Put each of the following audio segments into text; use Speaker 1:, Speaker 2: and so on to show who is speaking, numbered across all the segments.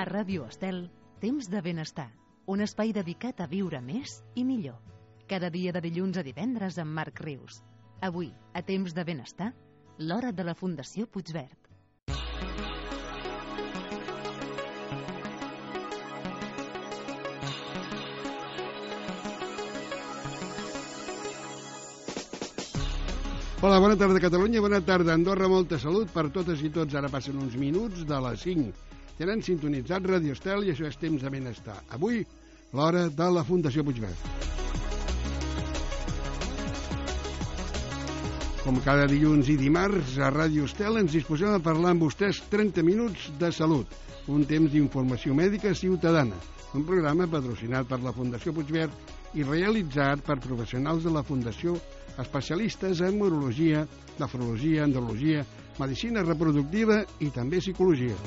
Speaker 1: A Ràdio Estel, Temps de Benestar, un espai dedicat a viure més i millor. Cada dia de dilluns a divendres amb Marc Rius. Avui, a Temps de Benestar, l'hora de la Fundació Puigverd.
Speaker 2: Hola, bona tarda Catalunya, bona tarda Andorra, molta salut per totes i tots. Ara passen uns minuts de les 5. Tenen sintonitzat Ràdio Estel i això és Temps de Benestar. Avui, l'hora de la Fundació Puigverd. Com cada dilluns i dimarts, a Ràdio Estel ens disposem a parlar amb vostès 30 minuts de salut, un temps d'informació mèdica ciutadana, un programa patrocinat per la Fundació Puigverd i realitzat per professionals de la Fundació especialistes en urologia, nefrologia, andrologia, medicina reproductiva i també psicologia.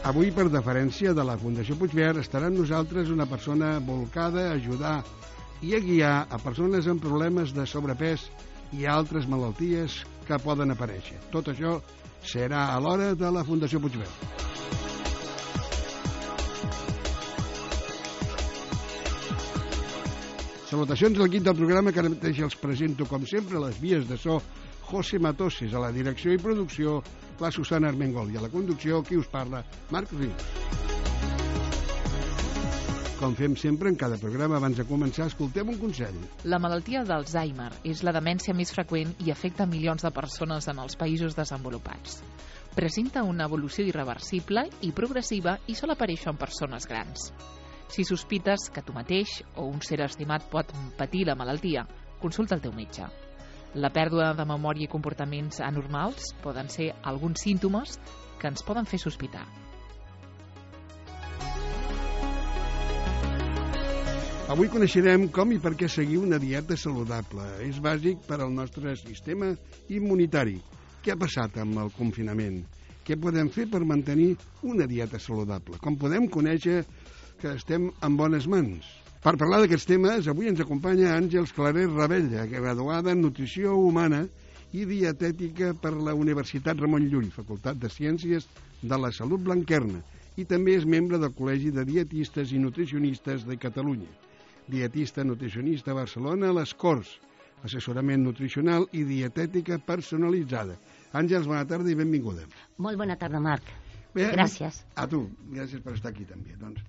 Speaker 2: Avui, per deferència de la Fundació Puigverd, estarà amb nosaltres una persona volcada a ajudar i a guiar a persones amb problemes de sobrepès i altres malalties que poden aparèixer. Tot això serà a l'hora de la Fundació Puigverd. Salutacions a l'equip del programa, que ara mateix els presento, com sempre, a les vies de so, José Matoses, a la direcció i producció, la Susana Armengol, i a la conducció, qui us parla, Marc Rius. Com fem sempre en cada programa, abans de començar, escoltem un consell.
Speaker 3: La malaltia d'Alzheimer és la demència més freqüent i afecta milions de persones en els països desenvolupats. Presenta una evolució irreversible i progressiva i sol aparèixer en persones grans. Si sospites que tu mateix o un ser estimat pot patir la malaltia, consulta el teu metge. La pèrdua de memòria i comportaments anormals poden ser alguns símptomes que ens poden fer sospitar.
Speaker 2: Avui coneixerem com i per què seguir una dieta saludable. És bàsic per al nostre sistema immunitari. Què ha passat amb el confinament? Què podem fer per mantenir una dieta saludable? Com podem conèixer que estem en bones mans? Per parlar d'aquests temes, avui ens acompanya Àngels Claret Ravella, graduada en Nutrició Humana i Dietètica per la Universitat Ramon Llull, Facultat de Ciències de la Salut Blanquerna, i també és membre del Col·legi de Dietistes i Nutricionistes de Catalunya. Dietista nutricionista a Barcelona a les Corts, assessorament nutricional i dietètica personalitzada. Àngels, bona tarda i benvinguda.
Speaker 4: Molt bona tarda, Marc.
Speaker 2: Bé,
Speaker 4: gràcies.
Speaker 2: A tu, gràcies per estar aquí també. Doncs,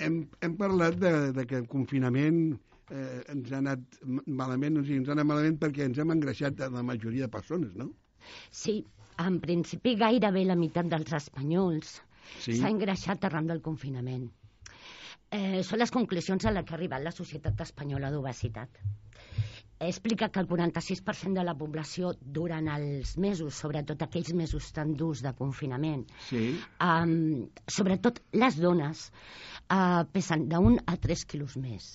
Speaker 2: hem parlat de que el confinament ens ha anat malament, o sigui, ens ha anat malament perquè ens hem engreixat a la majoria de persones, no?
Speaker 4: Sí, en principi gairebé la meitat dels espanyols s'ha engreixat arran del confinament. Són les conclusions a les que ha arribat la Societat Espanyola d'Obesitat. Explica que el 46% de la població durant els mesos, sobretot aquells mesos tan durs de confinament, sobretot les dones, pesen d'1 a 3 quilos més.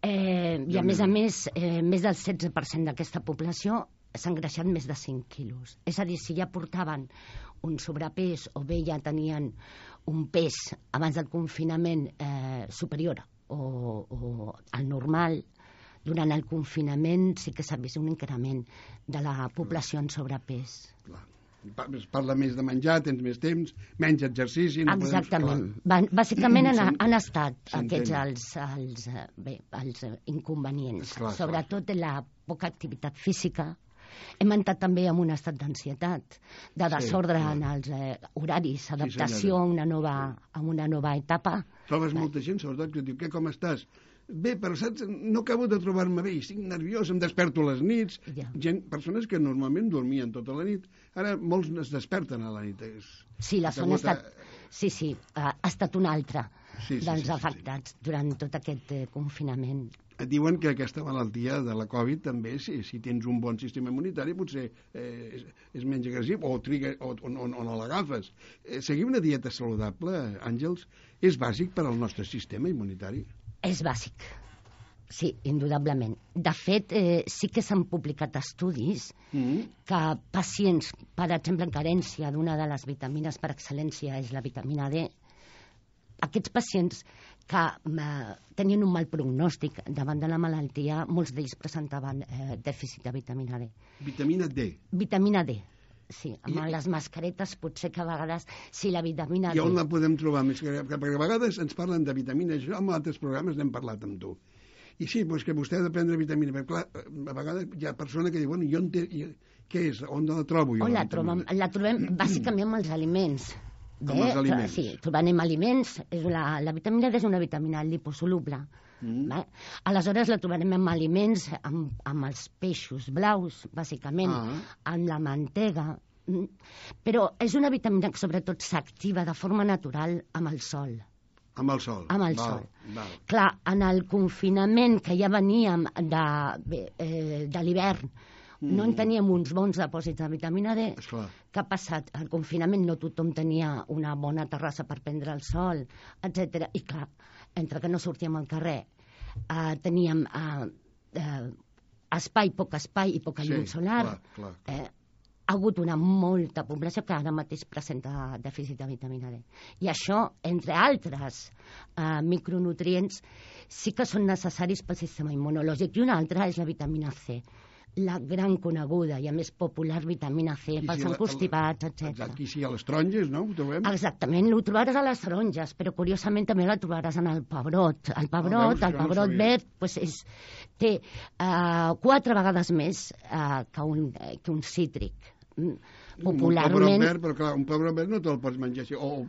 Speaker 4: I a més, més del 16% d'aquesta població s'ha engreixat més de 5 quilos. És a dir, si ja portaven un sobrepès o bé ja tenien un pes abans del confinament superior o al normal, durant el confinament sí que s'ha vist un increment de la població en sobrepès.
Speaker 2: Es parla més de menjar, tens més temps, menys exercici...
Speaker 4: Exactament. Bàsicament han estat aquests els inconvenients. Sobretot la poca activitat física. Hem entrat també en un estat d'ansietat, de desordre en els horaris, adaptació a una nova etapa.
Speaker 2: Trobes molta gent, sobretot, que diu, com estàs? Bé, però saps, no acabo de trobar-me bé, estic nerviós, em desperto a les nits, persones que normalment dormien tota la nit, ara molts es desperten a la nit.
Speaker 4: Sí, la zona ha estat una altra dels afectats durant tot aquest confinament.
Speaker 2: Et diuen que aquesta malaltia de la Covid també, si tens un bon sistema immunitari, potser és menys agressiu o no l'agafes. Seguir una dieta saludable, Àngels, és bàsic per al nostre sistema immunitari?
Speaker 4: És bàsic, sí, indudablement. De fet, sí que s'han publicat estudis que pacients, per exemple, en carència d'una de les vitamines per excel·lència és la vitamina D, aquests pacients que tenien un mal prognòstic davant de la malaltia, molts d'ells presentaven dèficit de vitamina D.
Speaker 2: Vitamina D?
Speaker 4: Vitamina D. Sí, amb les mascaretes potser que a vegades, si la vitamina D...
Speaker 2: I on la podem trobar més? Perquè a vegades ens parlen de vitamines, jo en altres programes n'hem parlat amb tu. I sí, doncs que vostè ha de prendre vitamina, perquè clar, a vegades hi ha persona que diu, bueno, jo què és? On la trobo jo?
Speaker 4: La trobem bàsicament amb els aliments.
Speaker 2: Amb els aliments.
Speaker 4: Sí, trobem aliments. La vitamina D és una vitamina liposoluble. Aleshores la trobarem amb aliments, amb els peixos blaus, bàsicament, amb la mantega. Però és una vitamina que sobretot s'activa de forma natural amb el sol.
Speaker 2: Amb el sol.
Speaker 4: Amb el sol. Clar, en el confinament que ja veníem de l'hivern, no en teníem uns bons dipòsits de vitamina D. Què ha passat? Al confinament no tothom tenia una bona terrassa per prendre el sol, etc. I clar, entre que no sortíem al carrer, teníem poc espai i poca llum solar. Ha hagut una molta població que ara mateix presenta dèficit de vitamina D. I això, entre altres micronutrients, sí que són necessaris pel sistema immunològic. I una altra és la vitamina C, la gran coneguda i a més popular vitamina C pels encostipats, etc.
Speaker 2: Exacte, i sí, a les taronges, no? Ho trobem?
Speaker 4: Exactament, ho trobaràs a les taronges, però curiosament també la trobaràs en el pebrot. El pebrot verd té 4 vegades més que un cítric. Popularment...
Speaker 2: Un pebrot verd no te'l pots menjar així, o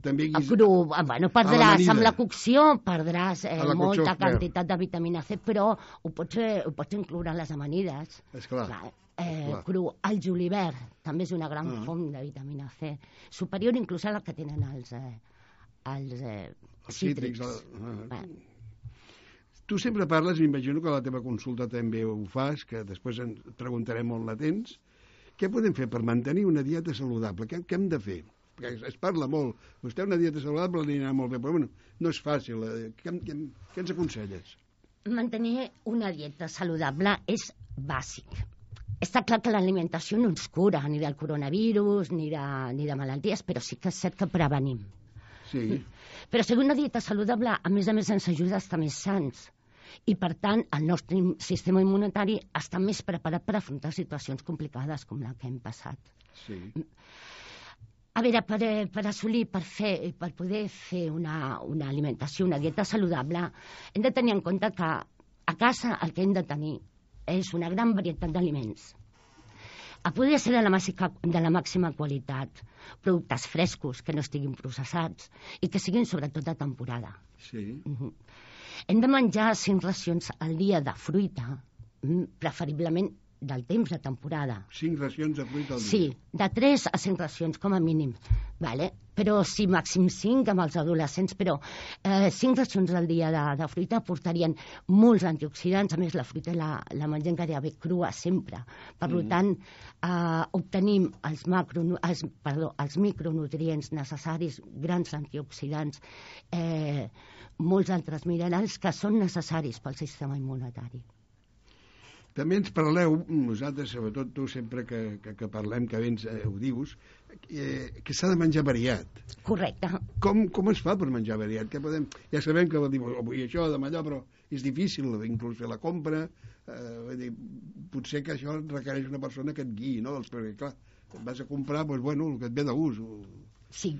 Speaker 2: també
Speaker 4: cru, bueno, perdràs amb la cocció, perdràs molta quantitat de vitamina C, però ho pots incloure en les amanides.
Speaker 2: Esclar.
Speaker 4: Cru. El julivert també és una gran font de vitamina C, superior inclús a la que tenen els cítrics.
Speaker 2: Tu sempre parles, m'imagino que a la teva consulta també ho fas, que després et preguntarem on la tens. Què podem fer per mantenir una dieta saludable? Què hem de fer? Perquè es parla molt. Vostè una dieta saludable li anirà molt bé, però bueno, no és fàcil. Què ens aconselles?
Speaker 4: Mantenir una dieta saludable és bàsic. Està clar que l'alimentació no ens cura ni del coronavirus ni de malalties, però sí que és cert que prevenim.
Speaker 2: Sí.
Speaker 4: Però seguir una dieta saludable, a més ens ajuda a estar més sans. I, per tant, el nostre sistema immunitari està més preparat per afrontar situacions complicades com la que hem passat.
Speaker 2: Sí.
Speaker 4: A veure, per assolir, per poder fer una alimentació, una dieta saludable, hem de tenir en compte que a casa el que hem de tenir és una gran varietat d'aliments. Podria ser de la màxima qualitat, productes frescos que no estiguin processats i que siguin sobretot de temporada.
Speaker 2: Sí.
Speaker 4: Hem de menjar 5 racions al dia de fruita, preferiblement del temps de temporada.
Speaker 2: 5 racions de fruita al dia?
Speaker 4: Sí, de 3 a 5 racions, com a mínim. Però sí, màxim 5 amb els adolescents, però 5 racions al dia de fruita aportarien molts antioxidants. A més, la fruita la mengem gairebé crua sempre. Per tant, obtenim els micronutrients necessaris, grans antioxidants, molts altres minerals que són necessaris pel sistema immunitari.
Speaker 2: També ens parleu, nosaltres, sobretot tu, sempre que parlem, que vens ho dius, que s'ha de menjar variat.
Speaker 4: Correcte.
Speaker 2: Com es fa per menjar variat? Ja sabem que avui això, demà allò, però és difícil inclús fer la compra. Potser que això requereix una persona que et guiï, no? Perquè, clar, vas a comprar el que et ve de gust.
Speaker 4: Sí.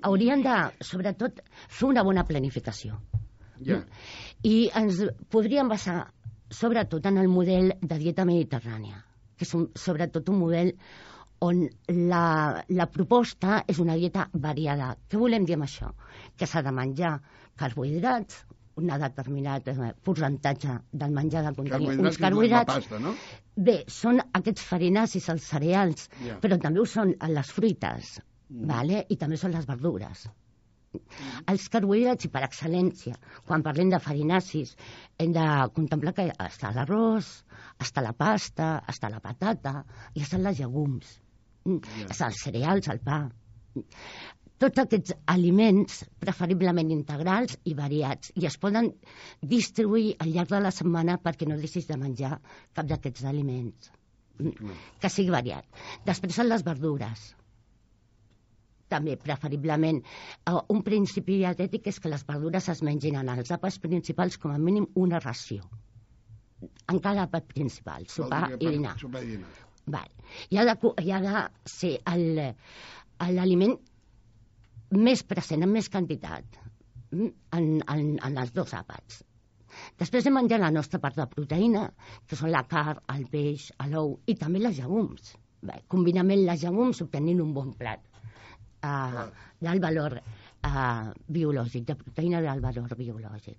Speaker 4: Haurien de, sobretot, fer una bona planificació.
Speaker 2: Ja.
Speaker 4: I ens podríem basar sobretot en el model de dieta mediterrània, que és sobretot un model on la proposta és una dieta variada. Què volem dir amb això? Que s'ha de menjar carbohidrats, un determinat percentatge del menjar de contenir uns carbohidrats.
Speaker 2: La pasta, no?
Speaker 4: Bé, són aquests farinacis, els cereals, però també ho són les fruites, i també són les verdures. Els carbohidrats, i per excel·lència, quan parlem de farinacis, hem de contemplar que està l'arròs, està la pasta, està la patata, i estan les llegums, estan els cereals, el pa. Tots aquests aliments, preferiblement integrals i variats, i es poden distribuir al llarg de la setmana perquè no deixis de menjar cap d'aquests aliments, que sigui variat. Després són les verdures. També, preferiblement, un principi dietètic és que les verdures es mengin en els àpats principals com a mínim una ració. En cada àpat principal, sopar i dinar. Val. I ha de ser l'aliment més present, en més quantitat, en els 2 àpats. Després de menjar la nostra part de proteïna, que són la carn, el peix, l'ou i també les llegums. Combinament les llegums obtenint un bon plat d'alt valor biològic, de proteïna d'alt valor biològic.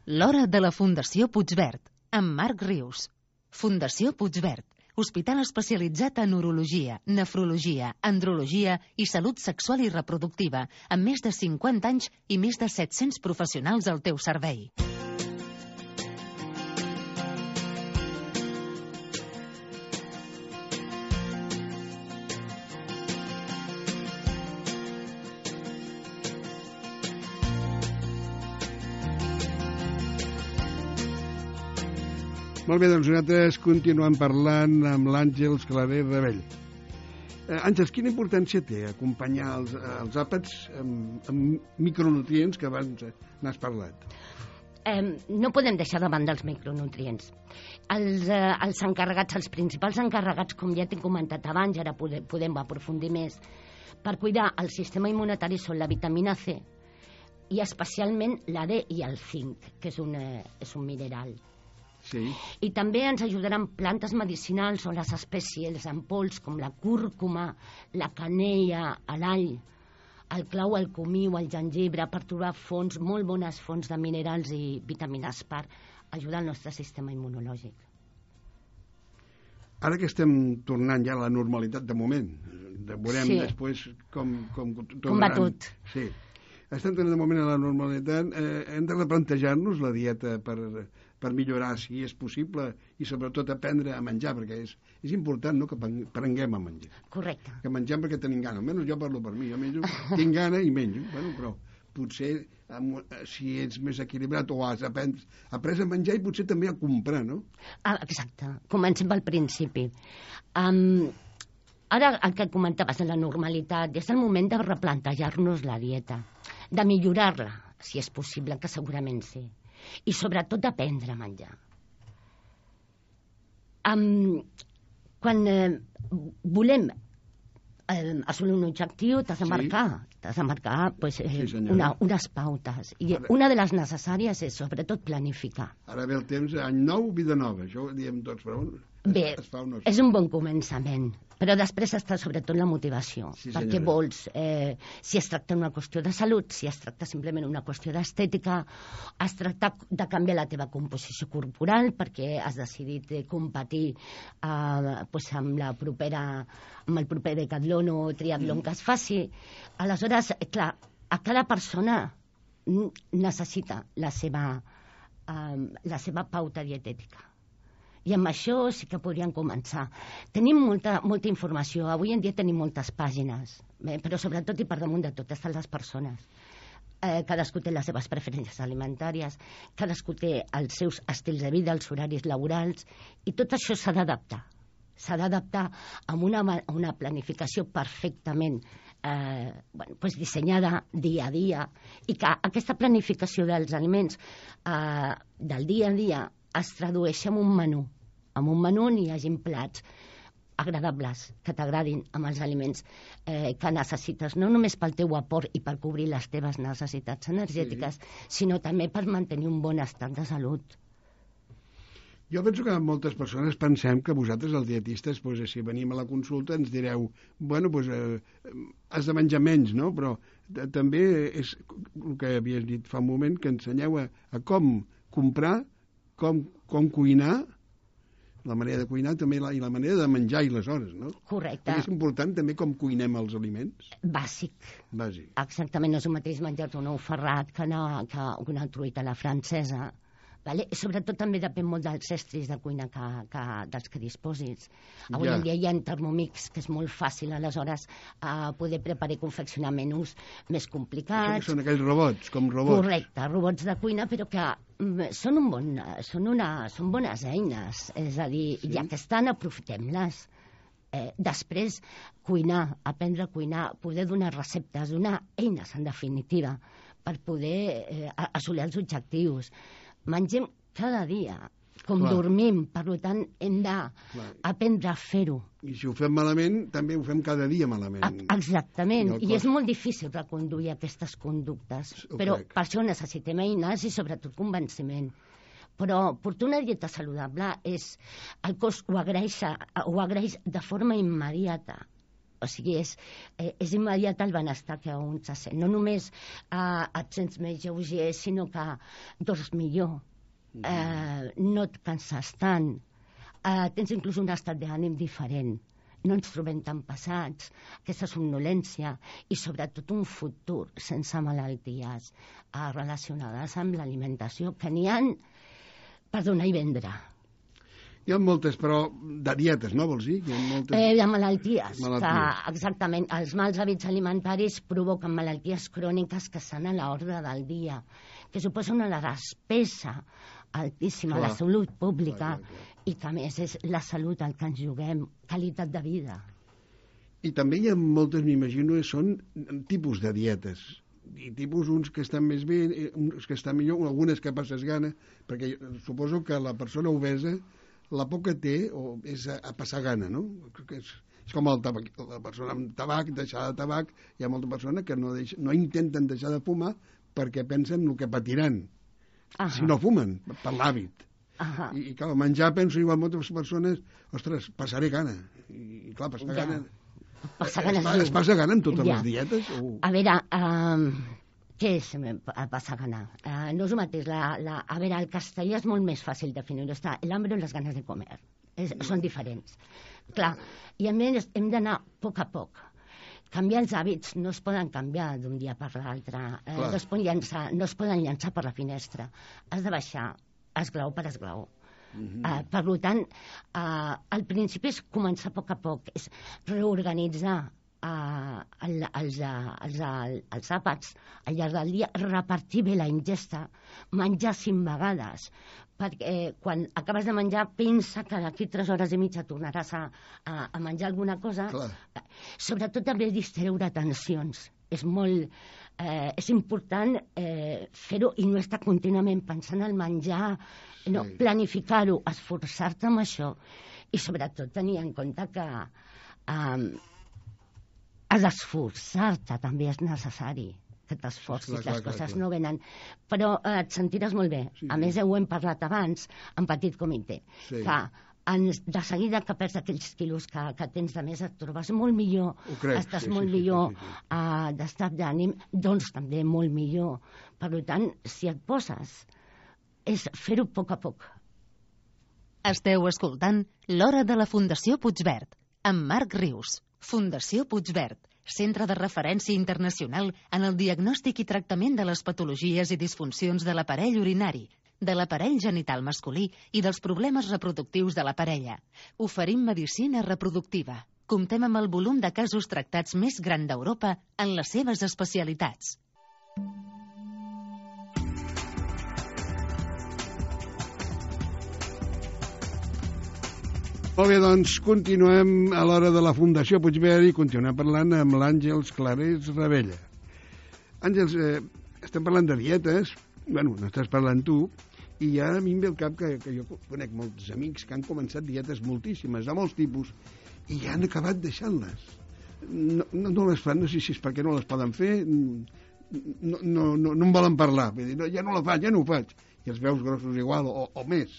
Speaker 1: L'hora de la Fundació Puigverd, amb Marc Rius. Fundació Puigverd, hospital especialitzat en urologia, nefrologia, andrologia i salut sexual i reproductiva, amb més de 50 anys i més de 700 professionals al teu servei.
Speaker 2: Molt bé, doncs nosaltres continuem parlant amb l'Àngels Claret Rebell. Àngels, quina importància té acompanyar els àpats amb micronutrients que abans n'has parlat?
Speaker 4: No podem deixar de banda els micronutrients. Els encarregats, els principals encarregats, com ja t'he comentat abans, ara podem aprofundir més, per cuidar el sistema immunitari són la vitamina C i especialment la D i el zinc, que és un mineral.
Speaker 2: Sí.
Speaker 4: I també ens ajudaran plantes medicinals o les espècies en pols com la cúrcuma, la canella, l'all, el clau, el comí o el gengibre per trobar molt bones fonts de minerals i vitamines per ajudar el nostre sistema immunològic.
Speaker 2: Ara que estem tornant ja a la normalitat de moment, veurem després com
Speaker 4: va tot.
Speaker 2: Sí. Estem tornant de moment a la normalitat, hem de replantejar-nos la dieta per millorar, si és possible, i sobretot aprendre a menjar, perquè és important, no?, que aprenguem a menjar.
Speaker 4: Correcte.
Speaker 2: Que mengem perquè tenim gana. Almenys jo parlo per mi, jo menjo, tinc gana i menjo. Bueno, però potser si ets més equilibrat o has après a menjar i potser també a comprar, no?
Speaker 4: Exacte. Comencem pel principi. Ara el que comentaves de la normalitat, és el moment de replantejar-nos la dieta, de millorar-la, si és possible, que segurament sí. I sobretot aprendre a menjar. Quan volem assolir un objectiu, t'has de marcar unes pautes. I una de les necessàries és sobretot planificar.
Speaker 2: Ara ve el temps, any nou, vida nova. Això ho diem tots, però
Speaker 4: bé, és un bon començament. Però després està sobretot la motivació, perquè vols, si es tracta d'una qüestió de salut, si es tracta simplement d'una qüestió d'estètica, es tracta de canviar la teva composició corporal perquè has decidit competir amb el proper decatlon o triatlon que es faci. Aleshores, clar, a cada persona necessita la seva pauta dietètica. I amb això sí que podríem començar. Tenim molta informació. Avui en dia tenim moltes pàgines, però sobretot i per damunt de tot estan les persones. Cadascú té les seves preferències alimentàries, cadascú té els seus estils de vida, els horaris laborals, i tot això s'ha d'adaptar. S'ha d'adaptar amb una planificació perfectament dissenyada dia a dia, i que aquesta planificació dels aliments del dia a dia es tradueix en un menú on hi hagin plats agradables, que t'agradin amb els aliments que necessites, no només pel teu aport i per cobrir les teves necessitats energètiques, sinó també per mantenir un bon estat de salut.
Speaker 2: Jo penso que moltes persones pensem que vosaltres, els dietistes, si venim a la consulta ens direu, has de menjar menys, no? Però també és el que havies dit fa un moment, que ensenyeu a com comprar, com cuinar, la manera de cuinar també i la manera de menjar i les hores, no?
Speaker 4: Correcte.
Speaker 2: Perquè és important també com cuinem els aliments.
Speaker 4: Bàsic. Exactament, no és el mateix menjar-te un ou ferrat que una truita a la francesa. Sobretot també depèn molt dels estris de cuina dels que disposis. Avui en dia hi ha Thermomix, que és molt fàcil, aleshores, poder preparar i confeccionar menús més complicats.
Speaker 2: Són aquells robots, com robots.
Speaker 4: Correcte, robots de cuina, però que són bones eines. És a dir, ja que estan, aprofitem-les. Després, cuinar, aprendre a cuinar, poder donar receptes, donar eines, en definitiva, per poder assolir els objectius. Mengem cada dia com dormim. Per tant, hem d'aprendre a fer-ho.
Speaker 2: I si ho fem malament, també ho fem cada dia malament.
Speaker 4: Exactament. I és molt difícil reconduir aquestes conductes. Però per això necessitem eines i sobretot convenciment. Però portar una dieta saludable el cos ho agraeix de forma immediata. O sigui, és immediat el benestar que un se sent. No només et sents més lleuger, sinó que dors millor. No et canses tant. Tens inclús un estat d'ànim diferent. No ens trobem tan passats, aquesta somnolència i sobretot un futur sense malalties relacionades amb l'alimentació, que n'hi ha per donar i vendre.
Speaker 2: Hi ha moltes, però de dietes, no vols dir?
Speaker 4: De malalties. Exactament. Els mals hàbits alimentaris provoquen malalties cròniques que estan a l'ordre del dia, que suposa una despesa altíssima a la salut pública i que a més és la salut el que ens juguem, qualitat de vida.
Speaker 2: I també hi ha moltes, m'imagino, són tipus de dietes. I tipus uns que estan més bé, uns que estan millor, algunes que passes gana, perquè suposo que la persona obesa la por que té és a passar gana, no? És com el tabac, la persona amb tabac, deixar de tabac, hi ha molta persona que no intenten deixar de fumar perquè pensen el que patiran si no fumen, per l'hàbit. I clar, menjar, penso igual moltes persones, ostres, passaré gana. I clar, passar gana... Es passa gana en totes les dietes?
Speaker 4: A veure, què és passar gana? No és el mateix. A veure, el castellà és molt més fàcil definir-ho. Està l'hambre i les ganes de comer. Són diferents. Clar, i a més hem d'anar a poc. Canviar els hàbits no es poden canviar d'un dia per l'altre. No es poden llançar per la finestra. Has de baixar esglaó per esglaó. Per tant, al principi és començar a poc, és reorganitzar els àpats al llarg del dia, repartir bé la ingesta, menjar 5 vegades, perquè quan acabes de menjar pensa que d'aquí 3 hores i mitja tornaràs a menjar alguna cosa. Sobretot també distreure tensions. És important fer-ho i no estar contínuament pensant al menjar, no, planificar-ho, esforçar-te amb això i sobretot tenir en compte que has d'esforçar-te, també és necessari que t'esforcis, les coses no venen, però et sentiràs molt bé. A més, ho hem parlat abans en petit comitè, que de seguida que perds aquells quilos que tens de més et trobes molt millor, estàs molt millor d'estat d'ànim, doncs també molt millor. Per tant, si et poses, és fer-ho a poc.
Speaker 1: Esteu escoltant L'Hora de la Fundació Puigverd, amb Marc Rius. Fundació Puigverd, centre de referència internacional en el diagnòstic i tractament de les patologies i disfuncions de l'aparell urinari, de l'aparell genital masculí i dels problemes reproductius de la parella. Oferim medicina reproductiva. Comptem amb el volum de casos tractats més gran d'Europa en les seves especialitats.
Speaker 2: Molt bé, doncs continuem a l'Hora de la Fundació Puigverd i continuem parlant amb l'Àngels Clarés Ravella. Àngels, estem parlant de dietes, bueno, n'estàs parlant tu, i ja a mi em ve al cap que jo conec molts amics que han començat dietes moltíssimes, de molts tipus, i ja han acabat deixant-les. No les fan, no sé si és perquè no les poden fer, no en volen parlar, vull dir, ja no la faig, ja no ho faig, i els veus grossos igual o més.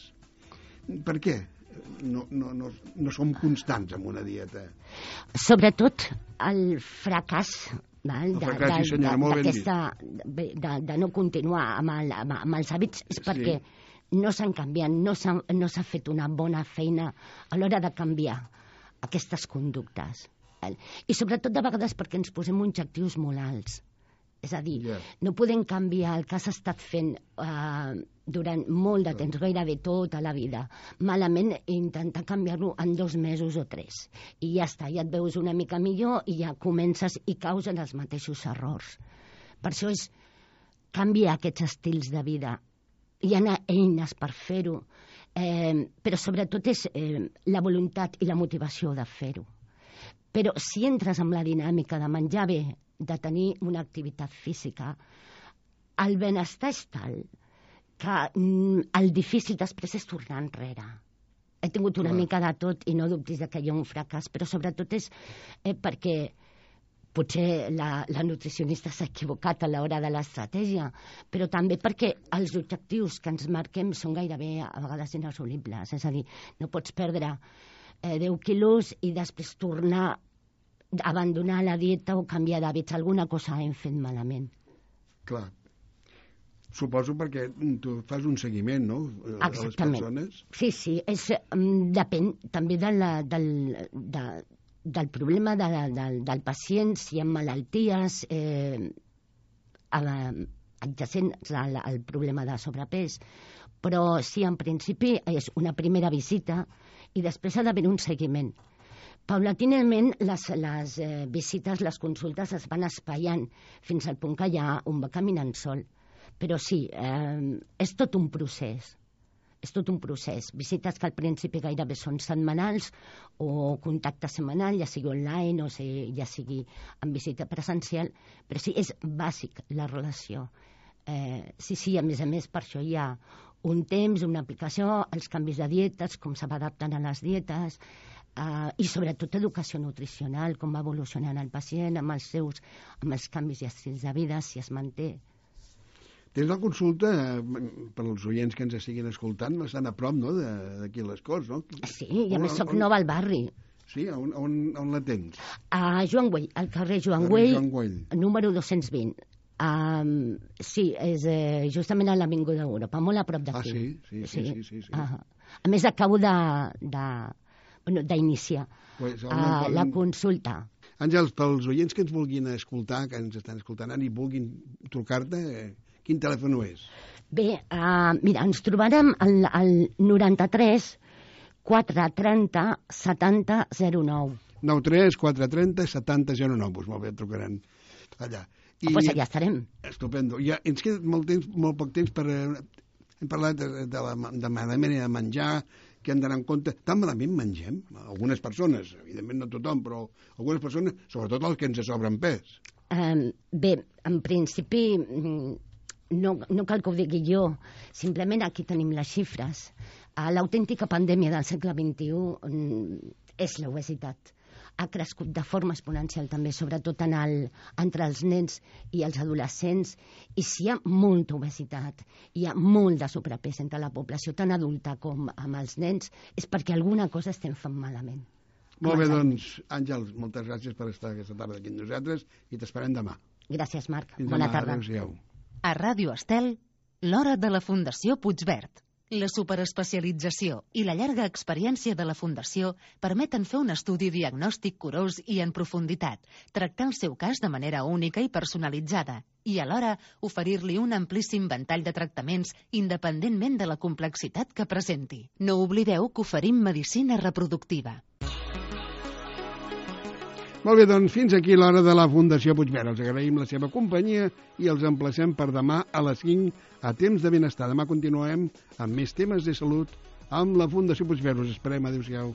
Speaker 2: Per què? No som constants en una dieta.
Speaker 4: Sobretot el fracàs de no continuar amb els hàbits és perquè no s'han canviat, no s'ha fet una bona feina a l'hora de canviar aquestes conductes. I sobretot de vegades perquè ens posem objectius molt alts. És a dir, no podem canviar el que has estat fent durant molt de temps, gairebé tota la vida. Malament intentar canviar-lo en 2 mesos o 3. I ja està, ja et veus una mica millor i ja comences i caus en els mateixos errors. Per això és canviar aquests estils de vida. Hi ha eines per fer-ho, però sobretot és la voluntat i la motivació de fer-ho. Però si entres amb la dinàmica de menjar bé, de tenir una activitat física, el benestar és tal que el difícil després és tornar enrere. He tingut una mica de tot i no dubtis que hi ha un fracàs, però sobretot és perquè potser la nutricionista s'ha equivocat a l'hora de l'estratègia, però també perquè els objectius que ens marquem són gairebé a vegades inassolibles. És a dir, no pots perdre 10 quilos i després tornar a abandonar la dieta o canviar d'hàbits. Alguna cosa hem fet malament.
Speaker 2: Clar. Suposo perquè tu fas un seguiment, no?
Speaker 4: Exactament.
Speaker 2: A les persones.
Speaker 4: Sí. Depèn també del problema del pacient, si hi ha malalties adjacents al problema de sobrepès. Però sí, en principi, és una primera visita i després ha d'haver un seguiment. Paulatinament, les visites, les consultes es van espaiant fins al punt que ja un va caminant sol. Però sí, és tot un procés. És tot un procés. Visites que al principi gairebé són setmanals o contacte setmanal, ja sigui online o ja sigui en visita presencial, però sí, és bàsic la relació. Sí, a més, per això hi ha un temps, una aplicació, els canvis de dietes, com se va adaptant a les dietes, i sobretot educació nutricional, com va evolucionant el pacient amb els canvis i estils de vida, si es manté.
Speaker 2: Tens la consulta, per als oients que ens estiguin escoltant, bastant a prop, no?, d'aquí les Corts, no?
Speaker 4: Sí, i a més soc nova al barri.
Speaker 2: Sí, on la tens?
Speaker 4: A Joan Güell, al carrer Joan Güell, número 220. Sí, és justament a l'Avinguda d'Europa, molt a prop d'aquí.
Speaker 2: Sí.
Speaker 4: A més, acabo d'iniciar la consulta.
Speaker 2: Àngels, pels oients que ens vulguin escoltar, que ens estan escoltant i vulguin trucar-te, quin telèfon és?
Speaker 4: Bé, mira, ens trobarem al 93 430 70 09.
Speaker 2: 93 430 70 09, doncs molt bé, trucaran allà.
Speaker 4: Doncs allà estarem.
Speaker 2: Estupendo. Ja ens queda molt poc temps per... Hem parlat de manera de menjar, que hem d'anar en compte. Tan malament mengem? Algunes persones, evidentment no tothom, però algunes persones, sobretot els que ens sobren pes.
Speaker 4: Bé, en principi no cal que ho digui jo, simplement aquí tenim les xifres. L'autèntica pandèmia del segle XXI és l'obesitat. Ha crescut de forma exponencial també, sobretot entre els nens i els adolescents, i si hi ha molta obesitat, hi ha molt de sobrepès entre la població, tant adulta com amb els nens, és perquè alguna cosa estem fent malament.
Speaker 2: Molt bé, doncs, Àngels, moltes gràcies per estar aquesta tarda aquí amb nosaltres i t'esperem demà.
Speaker 4: Gràcies, Marc. Bona tarda.
Speaker 2: Adéu-siau.
Speaker 1: A Ràdio Estel, l'hora de la Fundació Puigverd. La superespecialització i la llarga experiència de la Fundació permeten fer un estudi diagnòstic curós i en profunditat, tractar el seu cas de manera única i personalitzada i alhora oferir-li un amplíssim ventall de tractaments independentment de la complexitat que presenti. No oblideu que oferim medicina reproductiva.
Speaker 2: Molt bé, doncs fins aquí l'hora de la Fundació Puigverd. Els agraïm la seva companyia i els emplacem per demà a les 5 a Temps de Benestar. Demà continuem amb més temes de salut amb la Fundació Puigverd. Us esperem. Adéu-siau.